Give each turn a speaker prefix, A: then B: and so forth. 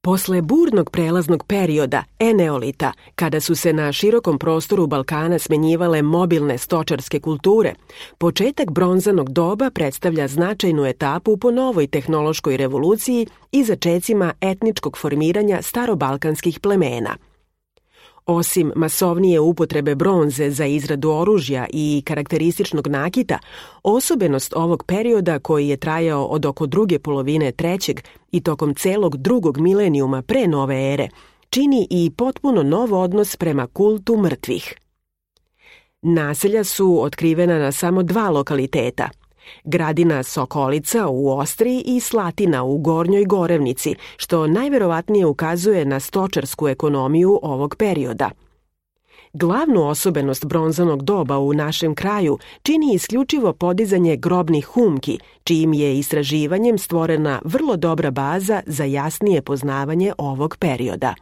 A: Posle burnog prelaznog perioda, eneolita, kada su se na širokom prostoru Balkana smenjivale mobilne stočarske kulture, početak bronzanog doba predstavlja značajnu etapu po novoj tehnološkoj revoluciji i začecima etničkog formiranja starobalkanskih plemena. Osim masovnije upotrebe bronze za izradu oružja i karakterističnog nakita, osobenost ovog perioda koji je trajao od oko druge polovine trećeg i tokom celog drugog milenijuma pre nove ere, čini i potpuno nov odnos prema kultu mrtvih. Naselja su otkrivena na samo 2 lokaliteta, Gradina Sokolica u Ostriji i Slatina u Gornjoj Gorevnici, što najverovatnije ukazuje na stočarsku ekonomiju ovog perioda. Glavnu osobenost bronzanog doba u našem kraju čini isključivo podizanje grobnih humki, čijim je istraživanjem stvorena vrlo dobra baza za jasnije poznavanje ovog perioda.